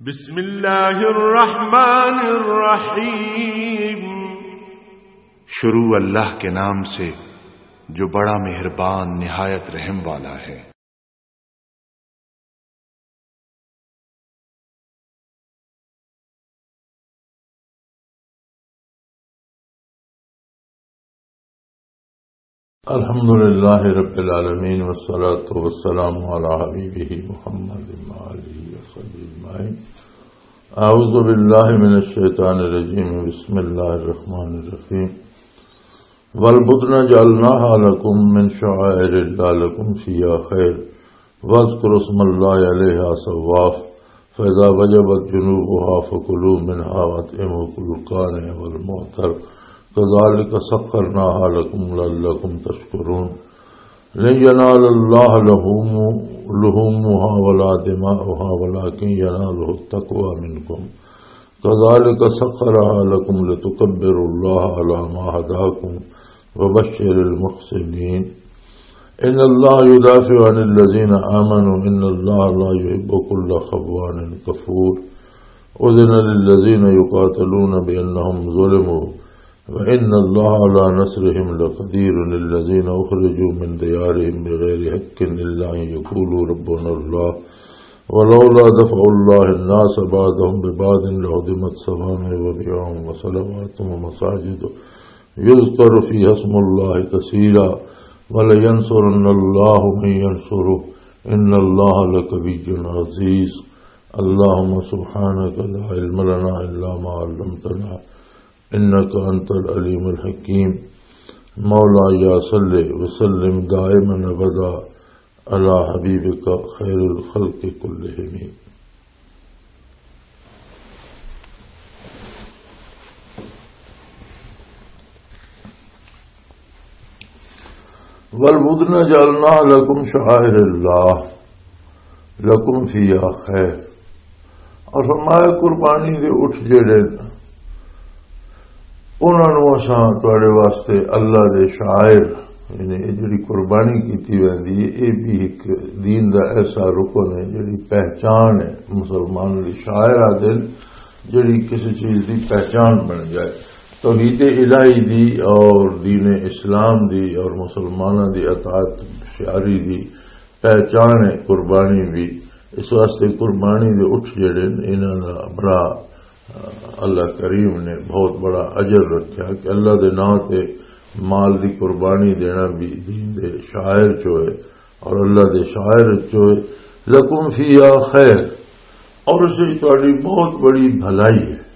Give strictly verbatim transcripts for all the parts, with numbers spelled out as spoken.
بسم اللہ الرحمن الرحیم۔ شروع اللہ کے نام سے جو بڑا مہربان نہایت رحم والا ہے۔ الحمد لله رب العالمين، والصلاة والسلام على حبيبه محمد وآله وصحبه أجمعين. أعوذ بالله من الشيطان الرجيم. بسم الله الرحمن الرحيم. والبدن جعلناها لكم من شعائر الله لكم فيها خير، واذكروا اسم الله عليها صواف، فإذا وجبت جنوبها فكلوا منها وأطعموا كل قانع والمعتر، كذلك سخرناها لكم لعلكم تشكرون. لن ينال الله لحوم-، لحومها ولا دماؤها ولكن يناله التقوى منكم. كذلك سخرها لكم لتكبروا الله على ما هداكم وبشر المحسنين. إن الله يدافع عن الذين آمنوا، إن الله لا يحب كل خوان كفور. أذن للذين يقاتلون بأنهم ظلموا، وإن الله على نصرهم لقدير. الذين أخرجوا من ديارهم بغير حق إلا أن يقولوا ربنا الله، ولولا دفع الله الناس بعضهم ببعض لهدمت صوامع وبيع وصلوات ومساجد يذكر فيها اسم الله كثيرا، ولينصرن الله من ينصره، إن الله لقوي عزيز. اللهم سبحانك لا علم لنا إلا ما علمتنا، إنك أنت العليم الحكيم. مولاي صل وسلم دائما أبدا على حبيبك خير الخلق كلهم. والبدن جعلناها لكم شعائر الله لكم فيها خير. اور فرمایا، قربانی دے اٹھ جڑے نے، انہاں نوں اساں تواڈے واسطے اللہ دے شعائر، یعنی اے جڑی قربانی کیتی ویندی ہے، اے بھی ایک دین دا ایسا رکن ہے، جڑی پہچان ہے، مسلمان دی شعائر آدے نے، جڑی کسی چیز دی پہچان بن جائے۔ توحید الہی دی اور دین اسلام دی اور مسلماناں دی اطاعت شعاری دی پہچان ہے قربانی بھی۔ اس واسطے قربانی دے اٹھ جڑے نے، انہاں دا بڑا، آ، اللہ کریم نے بہت بڑا اجر رکھیا کہ اللہ دے نام تے مال دی قربانی دینا بھی دین دے شعائر چو ہے اور اللہ دے شعائر چو ہے۔ لکم فیہا خیر، اور اس وچ تہاڈی بہت بڑی بھلائی ہے،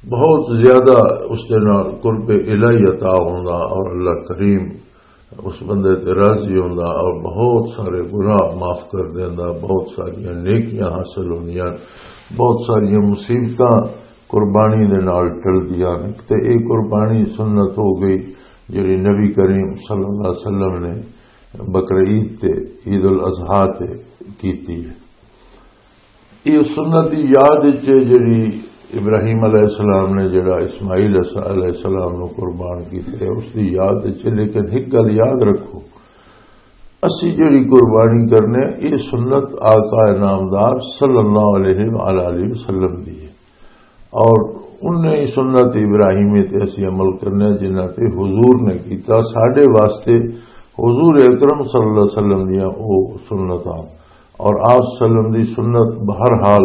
بہت زیادہ اس دے نال قرب الہی عطا ہوندا اور اللہ کریم اس بندے تے راضی ہوندا اور بہت سارے گناہ معاف کر دیندا، بہت ساریاں نیکیاں حاصل ہوندیاں، بہت ساریاں مصیبتاں قربانی دے نال ٹلدیاں نے۔ تے اے قربانی سنت ہو گئی جڑی نبی کریم صلی اللہ علیہ وسلم نے بقرعید تے، عید الاضحیٰ تے کیتی ہے۔ یہ سنت دی یاد وچ ہے جڑی ابراہیم علیہ السلام نے جڑا اسماعیل علیہ السلام نو قربان کیتے، اس دی یاد وچ ہے۔ لیکن ایک گل یاد رکھو، اسی جڑی قربانی کرنے، یہ سنت آقا نامدار صلی اللہ علیہ وآلہ وسلم دی ہے۔ اور انہیں سنت ابراہیمی تے اسی عمل کرنے جنہاں تے حضور نے کیتا۔ ساڈے واسطے حضور اکرم صلی اللہ علیہ وسلم دیاں او سنتاں اور آپ صلی اللہ علیہ وسلم دی سنت بہرحال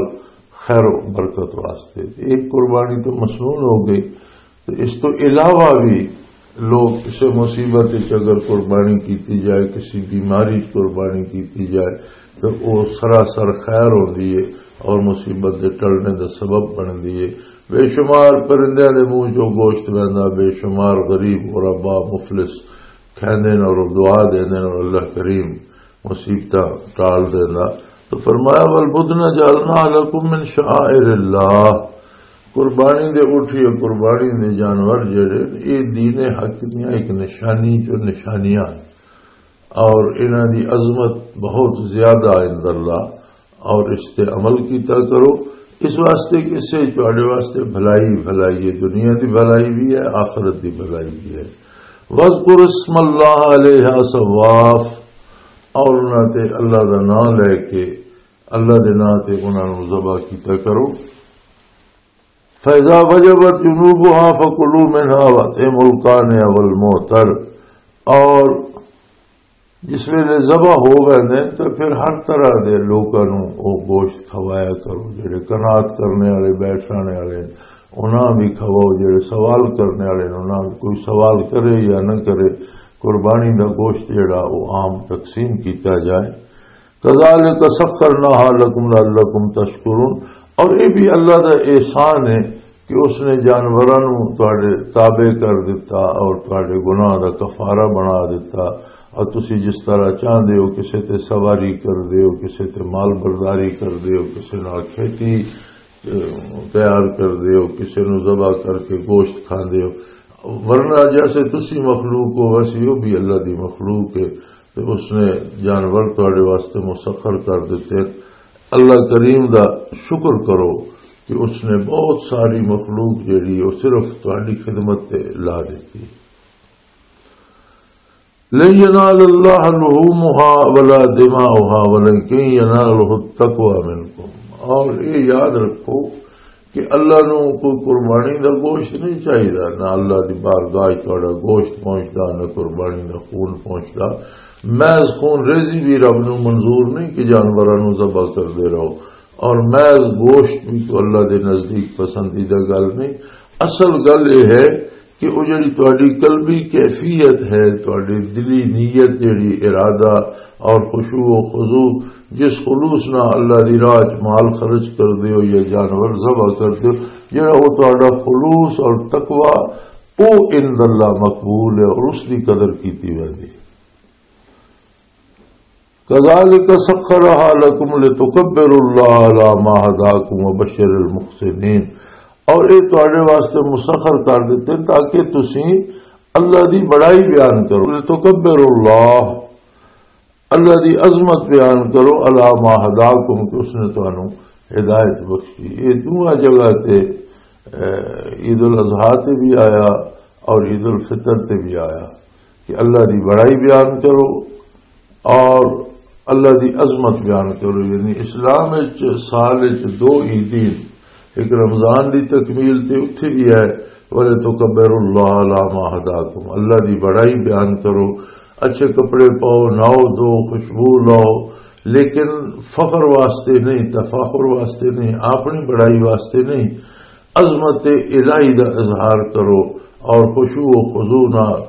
خیر و برکت واسطے۔ ایک قربانی تو مسنون ہو گئی، تو اس تو علاوہ بھی لوگ کسی مصیبت وچ اگر قربانی کیتی جائے، کسی بیماری وچ قربانی کیتی جائے، تو وہ سراسر خیر ہوندی ہے اور مصیبت دے ٹلنے دا سبب بندی ہے۔ بے شمار پرندیاں دے منہ چوں گوشت ویندا، بے شمار غریب غربا مفلس کھیندے نے اور دعا دیندے نے اور اللہ کریم مصیبتاں ٹال دیندا۔ تو فرمایا، "والبدن جعلنا لکم من شعائر اللہ۔" قربانی دے اٹھ یا قربانی دے جانور جڑے، یہ دین حق دیاں ایک نشانی چو نشانیاں ہیں۔ اور انہاں دی عظمت بہت زیادہ عند اللہ، اور اس تے عمل کیتا کرو، اس واسطے کہ اس سے تواڈے واسطے بھلائی، بھلائی ہے، دنیا دی بھلائی بھی ہے، آخرت دی بھلائی بھی ہے۔ "واذکر اسم اللہ علیہ صواف"، اور انہاں تے اللہ دا نام لے کے اللہ دے ناں تے انہاں نوں ذبح کیتا کرو۔ فَإِذَا وَجَبَتْ جُنُوبُهَا فَكُلُوا مِنْهَا وَأَطْعِمُوا الْقَانِعَ وَالْمُعْتَرَّ۔ اور جس ویلے ذبح ہو ویندے تے پھر ہر طرح دے لوکاں نوں او گوشت کھوایا کرو، جڑے قناعت کرنے والے، بیٹھ رہنے والے، انہاں بھی کھواؤ، جڑے سوال کرنے والے نے، انہاں بھی، کوئی سوال کرے یا نہ کرے، قربانی دا گوشت جڑا او عام تقسیم کیتا جائے۔ کذالک سخرناها لکم لعلکم تشکرون۔ اور یہ بھی اللہ دا احسان ہے کہ اس نے جانوراں نوں تواڈے تابع کر دتا اور تواڈے گناہ دا کفارہ بنا دتا۔ اور تسی جس طرح چاہندے ہو، کسے تے سواری کر دے ہو، کسے تے مال برداری کر دے ہو، کسے نال کھیتی، اے، تیار کر دے ہو، کسے نوں ذبح کر کے گوشت کھاندے ہو۔ ورنہ جیسے تسی مخلوق ہو، ویسے وہ بھی اللہ دی مخلوق ہے۔ تے اس نے جانور تواڈے واسطے مسخر کر دتے۔ اللہ کریم دا شکر کرو کہ اس نے بہت ساری مخلوق جیڑی، وہ صرف تواڈی خدمت تے لا دتی۔ لن ينال الله لحومها ولا دماؤها ولكن يناله التقوى منكم۔ اور یہ یاد رکھو کہ اللہ نوں کوئی قربانی دا گوشت نہیں چاہیدا، نہ اللہ دی بارگاہ وچ تہاڈا گوشت پہنچدا، نہ قربانی دا خون پہنچدا۔ محض خون ریزی بھی رب نوں منظور نہیں کہ جانوراں نوں ذبح کردے رہو، اور محض گوشت بھی تو اللہ دے نزدیک پسندیدہ گل نہیں۔ اصل گل یہ ہے کہ وہ جڑی تہاڈی قلبی کیفیت ہے، تہاڈی دلی نیت، جڑی ارادہ اور خشوع و خضوع، جس خلوص نال اللہ دی راہ چ مال خرچ کردے ہو یا جانور ذبح کردے ہو، جڑا وہ تہاڈا خلوص اور تقوی، او عند اللہ مقبول ہے اور اس دی قدر کیتی ویندی ہے۔ کذالک سخرها لکم لتکبروا اللہ علی ما ہداکم وبشر المحسنین۔ اور یہ تہاڈے واسطے مسخر کر دیتے تاکہ تسی اللہ دی بڑائی بیان کرو۔ لتکبروا اللہ، اللہ دی عظمت بیان کرو، علی ما ہداکم، کہ اس نے تانوں ہدایت بخشی۔ یہ دونوں جگہ تے، اے، عید الاضحیٰ تے بھی آیا اور عید الفطر تے بھی آیا کہ اللہ دی بڑائی بیان کرو اور اللہ دی عظمت بیان کرو۔ یعنی اسلام وچ سال وچ دو عیدیں، ایک رمضان دی تکمیل تے اتھے بھی ہے، وَلِتُكَبِّرُوا اللَّهَ عَلَىٰ مَا هَدَاكُمْ، اللہ دی بڑائی بیان کرو، اچھے کپڑے پاؤ، نہاؤ دو، خوشبو لاؤ، لیکن فخر واسطے نہیں، تفاخر واسطے نہیں، اپنی بڑائی واسطے نہیں، عظمت الہی دا اظہار کرو اور خشوع و خضوع نال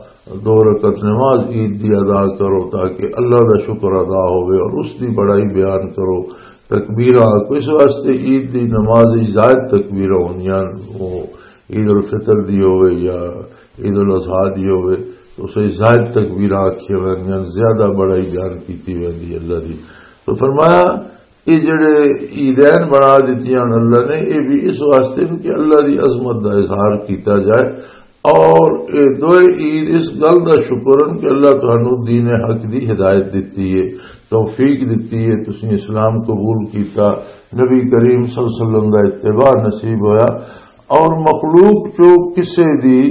دو رکعت نماز عید دی ادا کرو تاکہ اللہ دا شکر ادا ہوئے اور اس دی بڑائی بیان کرو۔ تکبیراں، اس واسطے عید دی نماز وچ زائد تکبیراں ہوندیاں، وہ عید الفطر دی ہوئے یا عید الاضحیٰ دی ہوئے، تو اسے زائد تکبیراں آکھیاں ویندیاں، زیادہ بڑائی بیان کیتی ویندی اللہ دی۔ تو فرمایا، یہ جڑے عیدین بنا دتیاں اللہ نے، یہ بھی اس واسطے نے کہ اللہ دی عظمت دا اظہار کیتا جائے۔ اور یہ دوئے عید اس گل دا شکر ہیں کہ اللہ تانوں دین حق دی ہدایت دتی ہے، توفیق دتی ہے، تسی اسلام قبول کیتا، نبی کریم صلی اللہ علیہ وسلم دا اتباع نصیب ہویا، اور مخلوق چو کسے دی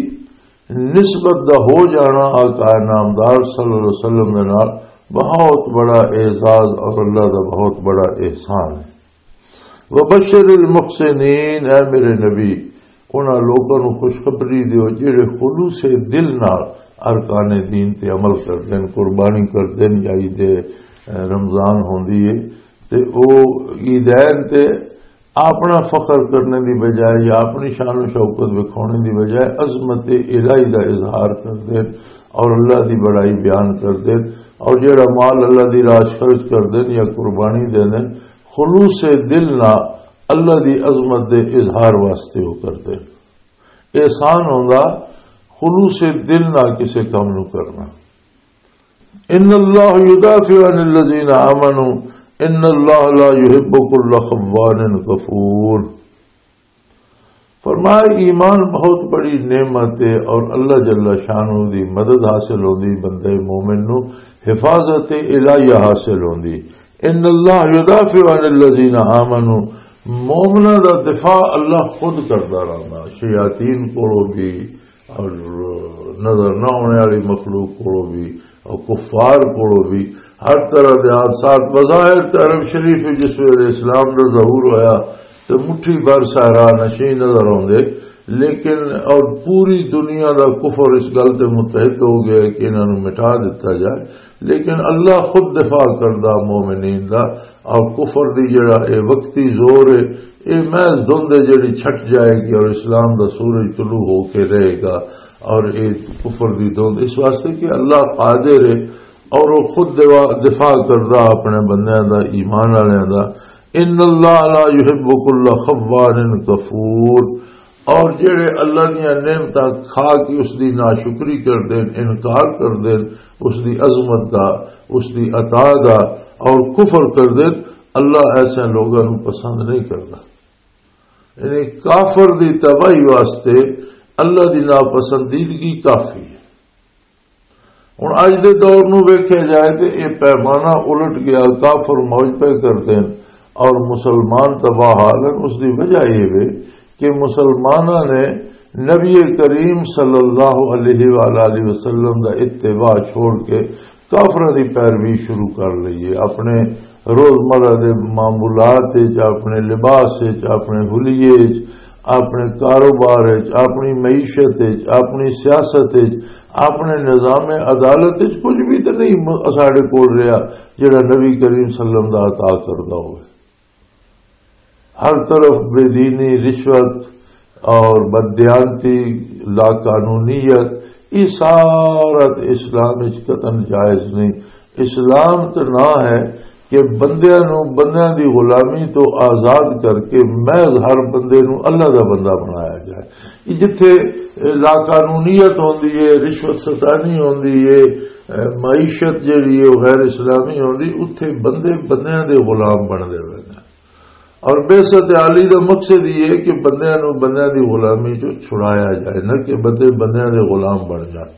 نسبت دا ہو جانا آقا نامدار صلی اللہ علیہ وسلم دے نال بہت بڑا اعزاز اور اللہ دا بہت بڑا احسان ہے۔ وبشر المحسنین، اے میرے نبی، انہاں لوکاں نوں خوشخبری دیو جڑے خلوص دل نال ارکان دین تے عمل کردے نے، قربانی کردے نے یا عید رمضان ہوندی ہے تے او عیدین تے اپنا فخر کرنے دی بجائے یا اپنی شان و شوکت وکھانے دی بجائے عظمت الہی دا اظہار کردے نے اور اللہ دی بڑائی بیان کردے نے، اور جڑا مال اللہ دی راہ چ خرچ کردے نے یا قربانی دے نے، خلوص دل نہ اللہ دی عظمت دے اظہار واسطے وہ کردے نے۔ احسان ہوندا خلوص دل نہ کسے کم نو کرنا۔ ان اللہ یدافع عن الذین آمنوا، ان اللہ لا یحب کل خوان کفور۔ فرمایا، ایمان بہت بڑی نعمت ہے اور اللہ جل شانہ دی مدد حاصل ہوندی بندے مومن نو، حفاظت الہیہ حاصل ہوندی۔ ان اللہ یدافع عن الذین آمنوا، مومناں دا دفاع اللہ خود کردا رہندا، شیاطین کولوں بھی اور نظر نہ ہونے والی مخلوق کولوں بھی اور کفار کولوں بھی ہر طرح دے حادثات، بظاہر تے عرب شریف وچ جس ویلے اسلام دا ظہور ہویا تے مٹھی بھر صحرا نشین نظر آوندے، لیکن اور پوری دنیا دا کفر اس گل تے متحد ہو گیا کہ انہاں نوں مٹا دتا جائے، لیکن اللہ خود دفاع کردا مومنین دا۔ اور کفر دی جڑا اے وقتی زور ہے، اے محض دھند ہے جڑی چھٹ جائے گی اور اسلام دا سورج طلوع ہو کے رہے گا۔ اور اے کفر دی دھند اس واسطے کہ اللہ قادر ہے اور وہ خود دوا-، دفاع کردا اپنے بندیاں دا، ایمان والوں دا۔ ان اللہ لا یحب کل خوان کفور۔ اور جڑے اللہ دیاں نعمتاں کھا کے اس دی ناشکری کر دین، انکار کر دین، اس دی عظمت دا، اس دی عطا دا، اور کفر کر دین، اللہ ایسے لوگاں نوں پسند نہیں کردا۔ یعنی کافر دی تباہی واسطے اللہ دی ناپسندیدگی کافی ہے۔ ہن اج دے دور نوں ویکھیا جائے تے اے پیمانہ الٹ گیا، کافر موج پہ کردے ہن اور مسلمان تباہ حال ہن۔ اس دی وجہ اے وے کہ مسلماناں نے نبی کریم صلی اللہ علیہ وآلہ وسلم دا اتباع چھوڑ کے کافراں دی پیروی شروع کر لئی ہے۔ اپنے روزمرہ دے معمولات وچ، اپنے لباس وچ، اپنے حلیے وچ، اپنے کاروبار وچ، اپنی معیشت وچ، اپنی سیاست وچ، اپنے نظام عدالت وچ کچھ بھی تے نہیں م-، ساڈے کول رہیا جڑا نبی کریم صلی اللہ علیہ وسلم دا عطا کردا ہوئے۔ ہر طرف بے دینی، رشوت اور بددیانتی، لا قانونیت، یہ سارا تے اسلام وچ قطعاً جائز نہیں۔ اسلام تے نہ ہے کہ بندیاں نوں بندیاں دی غلامی تو آزاد کر کے محض ہر بندے نوں اللہ دا بندہ بنایا جائے۔ یہ جتھے لا قانونیت ہوندی ہے، رشوت ستانی ہوندی ہے، معیشت جڑی ہے وہ غیر اسلامی ہوندی، اتھے بندے بندیاں دے غلام بندے ہوئے نے۔ اور بعثت عالی دا مقصد یہ ہے کہ بندیاں نوں بندیاں دی غلامی چوں چھڑایا جائے، نہ کہ بندے بندیاں دے غلام بن جان۔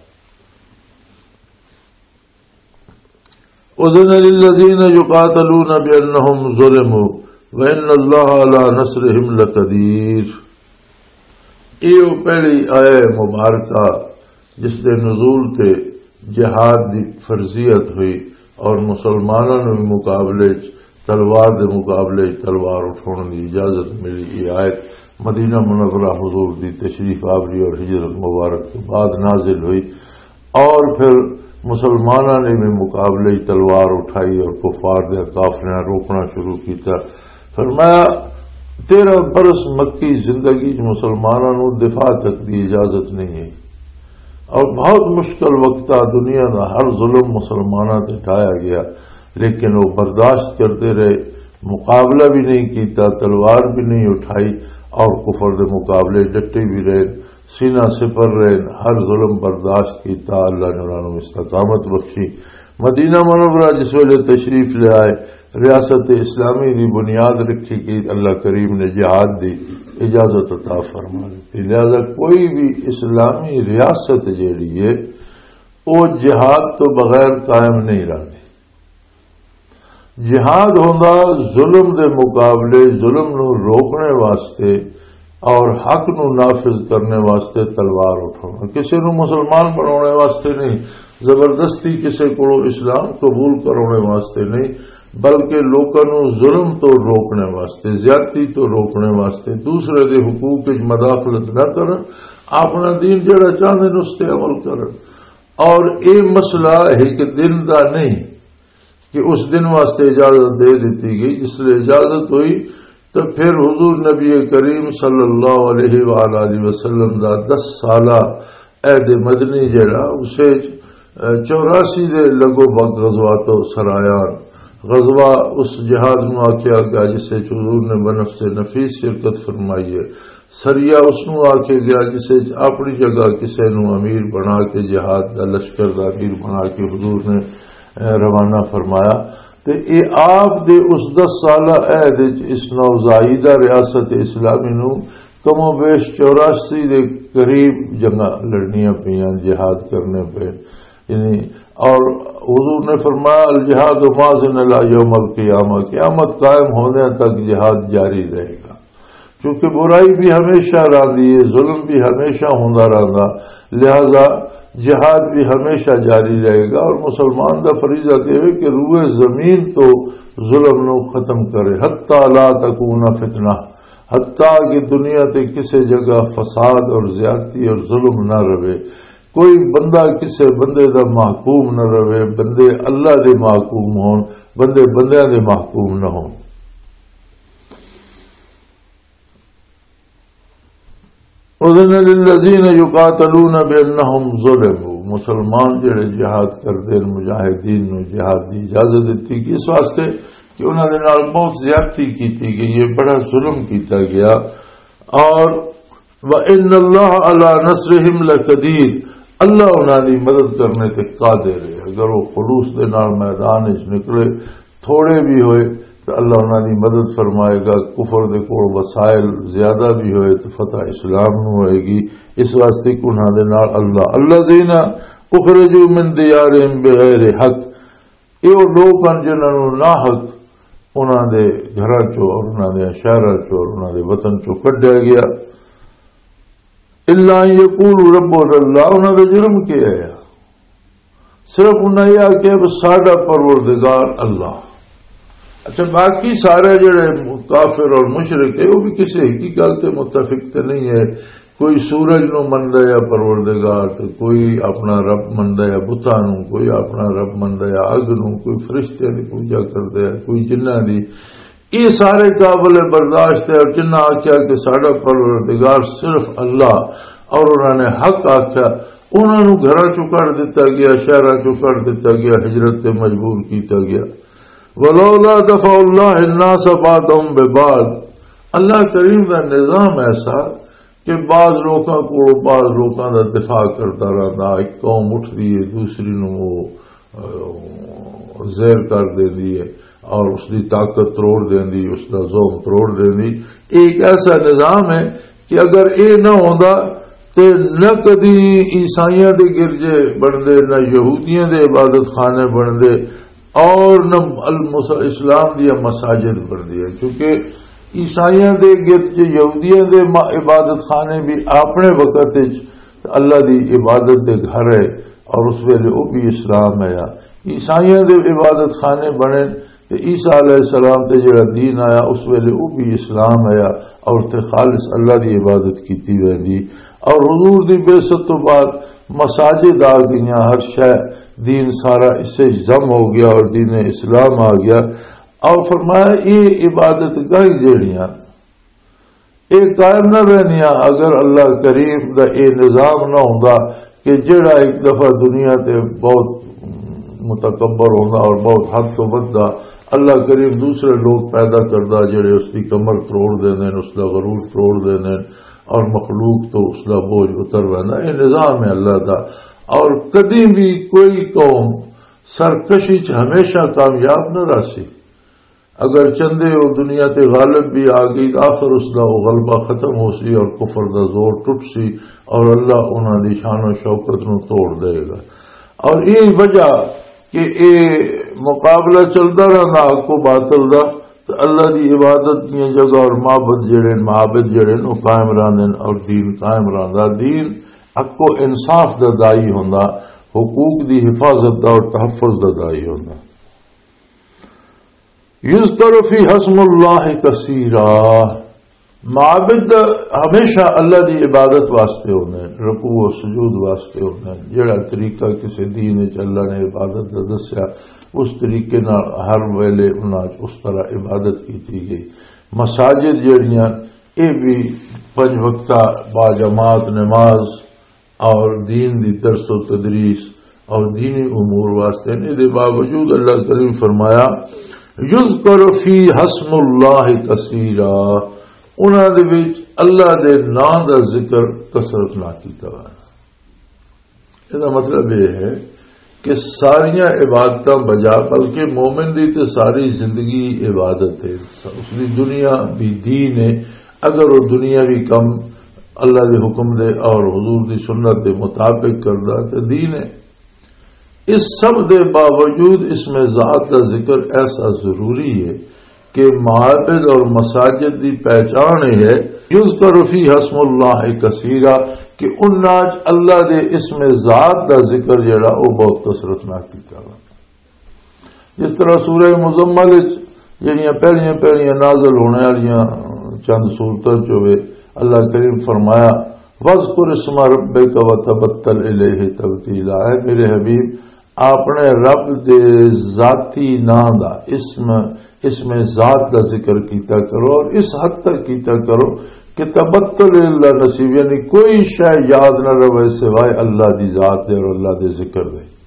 اذن للذین یقاتلون بانہم ظلموا وان اللہ علی نصرہم لقدیر۔ یہ وہ پہلی آیہ مبارکہ جس دے نزول تے جہاد دی فرضیت ہوئی اور مسلماناں نوں بھی مقابلے وچ تلوار دے مقابلے وچ تلوار اٹھاؤن دی اجازت ملی۔ یہ آیت مدینہ منورہ حضور دی تشریف آوری اور ہجرت مبارک کے بعد نازل ہوئی۔ اور پھر مسلماناں نے بھی مقابلے وچ تلوار اٹھائی اور کفار دے قافلیاں روکنا شروع کیتا۔ فرمایا، تیرہ برس مکی زندگی چ مسلماناں نوں دفاع تک دی اجازت نہیں ہے، اور بہت مشکل وقت آ، دنیا دا ہر ظلم مسلماناں تے ڈھایا گیا، لیکن وہ برداشت کرتے رہے، مقابلہ بھی نہیں کیتا، تلوار بھی نہیں اٹھائی، اور کفر دے مقابلے ڈٹے بھی رہے، سینہ سپر رہے، ہر ظلم برداشت کیتا۔ اللہ نے انہاں نوں استقامت بخشی۔ مدینہ منورہ جس ویلے تشریف لے آئے، ریاست اسلامی دی بنیاد رکھی گئی، اللہ کریم نے جہاد دی اجازت عطا فرما دی۔ لہذا کوئی بھی اسلامی ریاست جیڑی ہے، وہ جہاد تو بغیر قائم نہیں رہتی۔ جہاد ہوندا ظلم دے مقابلے، ظلم نو روکنے واسطے اور حق نو نافذ کرنے واسطے تلوار اٹھانا، کسی نو مسلمان بنانے واسطے نہیں، زبردستی کسی کو اسلام قبول کرانے واسطے نہیں، بلکہ لوکاں نو ظلم تو روکنے واسطے، زیادتی تو روکنے واسطے، دوسرے دے حقوق وچ مداخلت نہ کرن، اپنا دین جڑا چاہندے نے اس تے عمل کرن۔ اور اے مسئلہ ایک دن دا نہیں کہ اس دن واسطے اجازت دے دیتی گئی۔ جس لئے اجازت ہوئی تو پھر حضور نبی کریم صلی اللہ علیہ وآلہ وسلم دا دس سالہ عہد مدنی جڑا، اسے چوراسی دے لگو بگ غزوات و سرایان، غزوہ اس جہاد نو آکھیا گیا جس وچ حضور نے بنفس نفیس شرکت فرمائی ہے۔ سریا اس نو آکھیا گیا جس وچ اپنی جگہ کسے نو امیر بنا کے، جہاد دا لشکر دا امیر بنا کے حضور نے، اے، روانہ فرمایا۔ تے اے آپ دے اس دس سالہ عہد وچ اس نوزائیدہ ریاست اسلامی نو کم و بیش چوراسی دے قریب جنگاں لڑنیاں پیاں، جہاد کرنے پے۔ یعنی، اور حضور نے فرمایا، "الجہاد ماضٍ الی یوم القیامہ"، قیامت قائم ہونے تک جہاد جاری رہے گا، کیونکہ برائی بھی ہمیشہ رہندی ہے، ظلم بھی ہمیشہ ہوندا رہندا، لہذا جہاد بھی ہمیشہ جاری رہے گا، اور مسلمان دا فریضہ تے ہے کہ روئے زمین تو ظلم نو ختم کرے، حتی لا تکون فتنہ، حتی کہ دنیا تے کسے جگہ فساد اور زیادتی اور ظلم نہ رہے۔ کوئی بندہ کسے بندے دا محکوم نہ رہے، بندے اللہ دے محکوم ہون، بندے بندیاں دے محکوم نہ ہون۔ اذن للذین یقاتلون بانہم ظلموا، مسلمان جڑے جہاد کردے نے، مجاہدین نو جہاد دی اجازت دتی گئی اس واسطے کہ انہاں دے نال بہت زیادتی کیتی گئی ہے، بڑا ظلم کیتا گیا۔ اور وان اللہ علی نصرہم لقدیر، اللہ انہاں دی مدد کرنے تے قادر ہے۔ اگر وہ خلوص دے نال میدان وچ نکلے، تھوڑے بھی ہوئے تو اللہ انہاں دی مدد فرمائے گا۔ کفر دے کول وسائل زیادہ بھی ہوئے تو فتح اسلام نو ہوئے گی۔ اس واسطے کہ انہاں دے نال اللہ، الذین اخرجوا من دیارہم بغیر حق، یہ وہ لوگ ہیں جنہاں نو ناحق انہاں دے گھراں چوں اور انہاں دے شہراں چوں اور انہاں دے وطن چوں کڈیا گیا۔ الا ان یقولوا ربنا اللہ، انہاں دا جرم کیا ہے؟ صرف انہاں یہ آکھیا، "بس ساڈا پروردگار اللہ۔" اچھا، باقی سارے جڑے کافر اور مشرک ہے، وہ بھی کسی ایک ہی گل تے متفق تے نہیں ہے۔ کوئی سورج نو مندا یا پروردگار، تے کوئی اپنا رب مندا یا بتاں نو، کوئی اپنا رب مندا یا اگ نو، کوئی فرشتیاں دی پوجا کردا ہے، کوئی جنہاں دی۔ یہ سارے قابل برداشت ہے۔ اور جنہاں آکھیا کہ ساڈا پروردگار صرف اللہ، اور انہاں نے حق آکھیا، انہاں نوں گھراں چوں کڈ دتا گیا، شہراں چوں کڈ دتا گیا، ہجرت تے مجبور کیتا گیا۔ ولولا دفع اللہ الناس بعضهم ببعض، اللہ کریم دا نظام ایسا کہ بعض لوکاں کو بعض لوکاں دا دفاع کرتا رہتا۔ ایک قوم اٹھدی ہے، دوسری نوں وہ، آ، زیر کر دیندی ہے اور اس دی طاقت تروڑ دیندی، اس دا زوم تروڑ دیندی۔ ایک ایسا نظام ہے کہ اگر اے نہ ہوندا تے نہ کدی عیسائیاں دے گرجے بندے، نہ یہودیاں دے عبادت خانے بندے، اور نہ المس-، اسلام دیا مساجد بندی ہے، کیونکہ عیسائیاں دے گرج، یہودیاں دے ما-، عبادت خانے بھی اپنے وقت وچ اللہ دی عبادت دے گھر ہے، اور اس ویلے وہ بھی اسلام ہے۔ عیسائیاں دے عبادت خانے بنے تے عیسیٰ علیہ السلام تے جڑا دین آیا، اس ویلے وہ بھی اسلام آیا، اور تے خالص اللہ دی عبادت کیتی ویندی۔ اور حضور دی بعثت تو بعد مساجد آ گئیاں، ہر شے، دین سارا اس سے ضم ہو گیا اور دین اسلام آ گیا۔ اور فرمایا، یہ عبادت گاہیں جڑیاں، یہ قائم نہ رہنیاں اگر اللہ کریم دا یہ نظام نہ ہوندا کہ جڑا ایک دفعہ دنیا تے بہت متکبر ہوندا اور بہت حد تو ودھدا، اللہ کریم دوسرے لوگ پیدا کردا جڑے اس دی کمر تروڑ دیندے نے، اس دا غرور تروڑ دیندے نے، اور مخلوق تو اس دا بوجھ اتر ویندا۔ یہ نظام ہے اللہ دا۔ اور کدی بھی کوئی قوم سرکشی چ ہمیشہ کامیاب نہ رہسی۔ اگر چندے او دنیا تے غالب بھی آ گئی، تو آخر اس دا او غلبہ ختم ہو سی اور کفر دا زور ٹوٹ سی، اور اللہ انہاں دی شان و شوکت نو توڑ دے گا۔ اور یہی وجہ کہ اے مقابلہ چلدا رہندا حق و باطل دا، تو اللہ دی عبادت دیاں جگہ اور معبد جڑے، معابد جڑے نو قائم رہندے نے اور دین قائم رہندا۔ دین حق و انصاف دا دائی ہوندا، حقوق دی حفاظت دا اور تحفظ دا دائی ہوندا۔ یذکر فی حسم اللہ کثیرا۔ معابد ہمیشہ اللہ دی عبادت واسطے ہوندے ہیں، رکوع و سجود واسطے ہوندے ہیں۔ جڑا طریقہ کسی دین وچ اللہ نے عبادت دا دسیا، اس طریقے نال ہر ویلے انہاں وچ اس طرح عبادت کیتی گئی۔ مساجد جڑیاں، اے بھی پنج وقتہ با جماعت نماز اور دین دی درس و تدریس اور دینی امور واسطے نے۔ دے باوجود اللہ کریم فرمایا، یذکر فی حسم اللہ کثیرا، انہاں دے وچ اللہ دے نام دا ذکر کثرت نہ کیتا ہوا۔ یہ دا مطلب یہ ہے کہ ساریاں عبادتاں بجا، بلکہ مومن دی تے ساری زندگی عبادت ہے، اس دی دنیا بھی دین ہے۔ اگر وہ دنیا بھی کم اللہ دے حکم دے اور حضور دی سنت دے مطابق کردا تے دین ہے۔ اس سب دے باوجود اس میں ذات دا ذکر ایسا ضروری ہے کہ معابد اور مساجد دی پہچان یہ ہے، یذکر فی حسم اللہ کثیرا، کہ انہاں چ اللہ دے اسم ذات دا ذکر جڑا، او بہت کثرت نال کیتا وا۔ جس طرح سورہ مزمل وچ جڑیاں پہلیاں پہلیاں نازل ہونے والیاں چند سورتاں چ ہوئے، اللہ کریم فرمایا، "وَاذْكُرِ اسْمَ رَبِّكَ وَتَبَتَّلْ إِلَيْهِ تَبْتِيلًا۔" اے میرے حبیب، اپنے رب دے ذاتی نام دا، اسم، اسم ذات دا ذکر کیتا کرو، اور اس حد تک کیتا کرو کہ تبتل اللہ نصیب، یعنی کوئی شے یاد نہ رہے سوائے اللہ دی ذات دے اور اللہ دے ذکر دے۔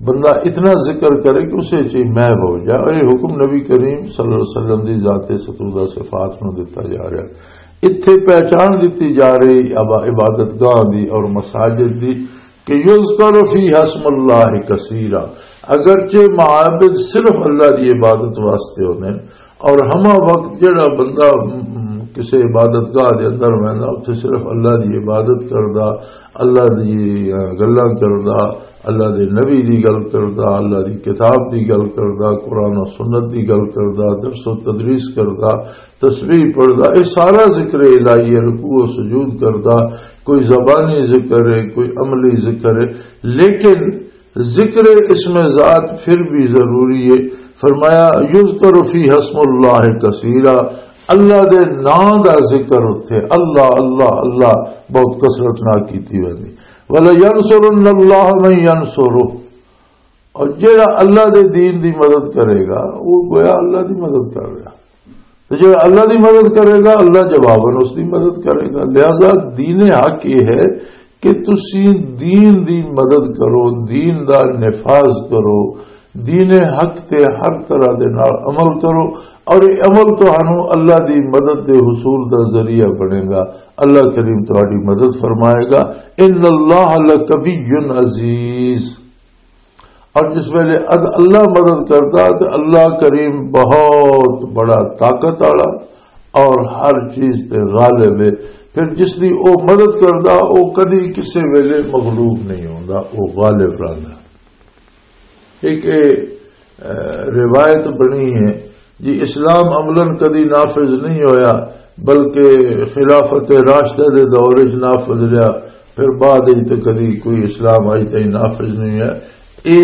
بندہ اتنا ذکر کرے کہ اسے چ محو ہو جائے۔ اور یہ حکم نبی کریم صلی اللہ علیہ وسلم دی ذات ستودہ صفات نو دتا جا رہا ہے۔ اتھے پہچان دتی جا رہی عبا-، عبادت گاہ دی اور مساجد دی کہ یذکر فیہا اسم اللہ کثیرا، اگرچہ معابد صرف اللہ دی عبادت واسطے ہوندے نے، اور ہما وقت جڑا بندہ، م، م، کسے عبادت گاہ دے اندر ویندا، اتھے صرف اللہ دی عبادت کردا، اللہ دی، آ، گلاں کردا، اللہ دے نبی دی گل کردا، اللہ دی کتاب دی گل کردا، قرآن و سنت دی گل کردا، درس و تدریس کردا، تسبیح پڑھدا، یہ سارا ذکر الہی ہے، رکوع و سجود کردا، کوئی زبانی ذکر ہے، کوئی عملی ذکر ہے، لیکن ذکر اسم ذات پھر بھی ضروری ہے۔ فرمایا، "یذکر فیہ اسم اللہ کثیرا"، اللہ دے نام دا ذکر اتھے، اللہ، اللہ، اللہ بہت کثرت نال کیتی ویندی۔ "ولینصرن اللہ من ینصرہ"، اور جڑا اللہ دے دین دی مدد کرے گا، وہ گویا اللہ دی مدد کر رہا۔ تے جڑا اللہ دی مدد کرے گا، اللہ جواباً اس دی مدد کرے گا۔ لہذا دین حق یہ ہے کہ تسی دین دی مدد کرو، دین دا نفاذ کرو، دین حق تے ہر طرح دے نال عمل کرو، اور یہ عمل تہانوں اللہ دی مدد دے حصول دا ذریعہ بنے گا۔ اللہ کریم تہاڈی مدد فرمائے گا۔ ان اللہ لقوی عزیز۔ اور جس ویلے اد-، اللہ مدد کردا تے اللہ کریم بہت بڑا طاقت والا اور ہر چیز تے غالب ہے۔ پھر جس دی او مدد کردا، او کدی کسے ویلے مغلوب نہیں ہوندا، او غالب رہندا۔ ایک اے، اے، روایت بنی ہے جی، اسلام عملاً کدی نافذ نہیں ہویا، بلکہ خلافت راشدہ دے دور وچ نافذ رہیا، پھر بعد وچ تے کدی کوئی اسلام اج تائیں نافذ نہیں ہویا۔ اے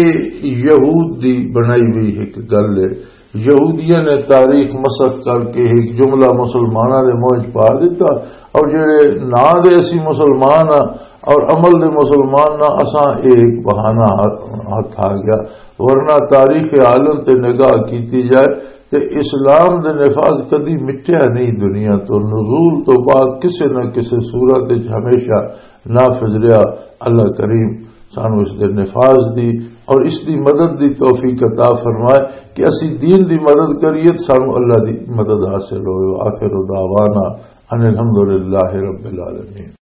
یہود دی بنائی ہوئی ایک گل ہے۔ یہودیاں نے تاریخ مسخ کر کے ایک جملہ مسلماناں دے منہ وچ پا دیتا، اور جڑے ناں دے اسی مسلمان ہاں اور عمل دے مسلمان نہ، اساں اے ایک بہانہ ہاتھ، ہاتھ آ گیا، ورنہ تاریخ عالم تے نگاہ کیتی جائے تے اسلام دے نفاذ کدی مٹیا نہیں دنیا تو۔ نزول تو بعد کسے نہ کسے صورت وچ ہمیشہ نافذ رہیا۔ اللہ کریم سانو اس دے نفاذ دی اور اس دی مدد دی توفیق عطا فرمائے کہ اسی دین دی مدد کریے تے سانو اللہ دی مدد حاصل ہوئے۔ آخر دعوانا ان الحمدللہ رب العالمین۔